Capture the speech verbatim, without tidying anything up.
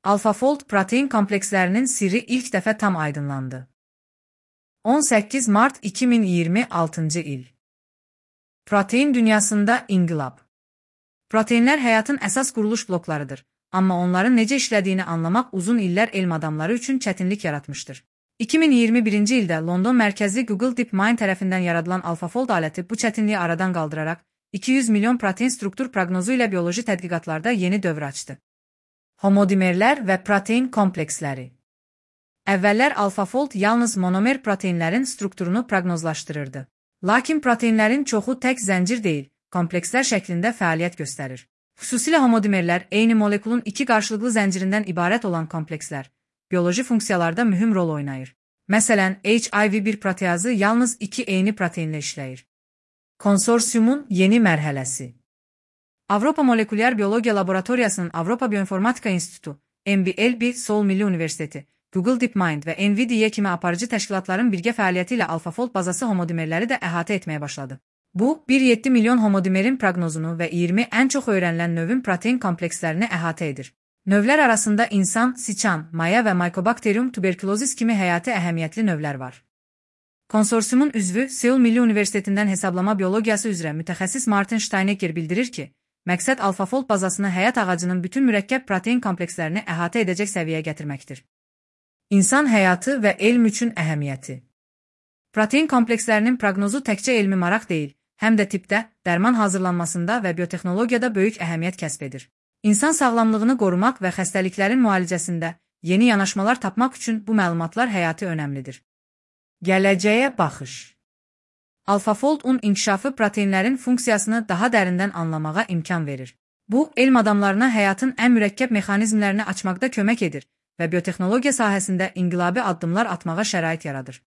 AlphaFold protein komplekslərinin sirri ilk dəfə tam aydınlandı. on səkkiz mart iki min iyirmi altıncı il. Protein dünyasında inqilab. Proteinlər həyatın əsas quruluş bloklarıdır, amma onların necə işlədiyini anlamaq uzun illər elm adamları üçün çətinlik yaratmışdır. iki min iyirmi birinci ildə London mərkəzli Google DeepMind tərəfindən yaradılan AlphaFold aləti bu çətinliyi aradan qaldıraraq iki yüz milyon protein struktur proqnozu ilə bioloji tədqiqatlarda yeni dövr açdı. Homodimerlər və protein kompleksləri. Əvvəllər AlphaFold yalnız monomer proteinlərin strukturunu proqnozlaşdırırdı. Lakin proteinlərin çoxu tək zəncir deyil, komplekslər şəklində fəaliyyət göstərir. Xüsusilə homodimerlər eyni molekulun iki qarşılıqlı zəncirindən ibarət olan komplekslər, bioloji funksiyalarda mühüm rol oynayır. Məsələn, H I V bir proteazı yalnız iki eyni proteinlə işləyir. Konsorsiumun yeni mərhələsi. Avropa Molekulyar Biologiya Laboratoriyasının Avropa Bioinformatika İnstitutu, M B L B, Seoul Milli Universiteti, Google DeepMind və NVIDIA kimi aparıcı təşkilatların birgə fəaliyyəti ilə AlphaFold bazası homodimerləri də əhatə etməyə başladı. Bu, bir nöqtə yeddi milyon homodimerin proqnozunu və iyirmi ən çox öyrənilən növün protein komplekslərini əhatə edir. Növlər arasında insan, siçan, maya və Mycobacterium tuberculosis kimi həyati əhəmiyyətli növlər var. Konsorsiumun üzvü Seoul Milli Universitetindən hesablama biologiyası üzrə mütəxəssis Martin Steinegger bildirir ki, məqsəd AlphaFold bazasını həyat ağacının bütün mürəkkəb protein komplekslərini əhatə edəcək səviyyəyə gətirməkdir. İnsan həyatı və elm üçün əhəmiyyəti. Protein komplekslərinin proqnozu təkcə elmi maraq deyil, həm də tibbdə, dərman hazırlanmasında və biotexnologiyada böyük əhəmiyyət kəsb edir. İnsan sağlamlığını qorumaq və xəstəliklərin müalicəsində yeni yanaşmalar tapmaq üçün bu məlumatlar həyati önəmlidir. Gələcəyə baxış. AlphaFold-un inkişafı proteinlərin funksiyasını daha dərindən anlamağa imkan verir. Bu, elm adamlarına həyatın ən mürəkkəb mexanizmlərini açmaqda kömək edir və biotexnologiya sahəsində inqilabi addımlar atmağa şərait yaradır.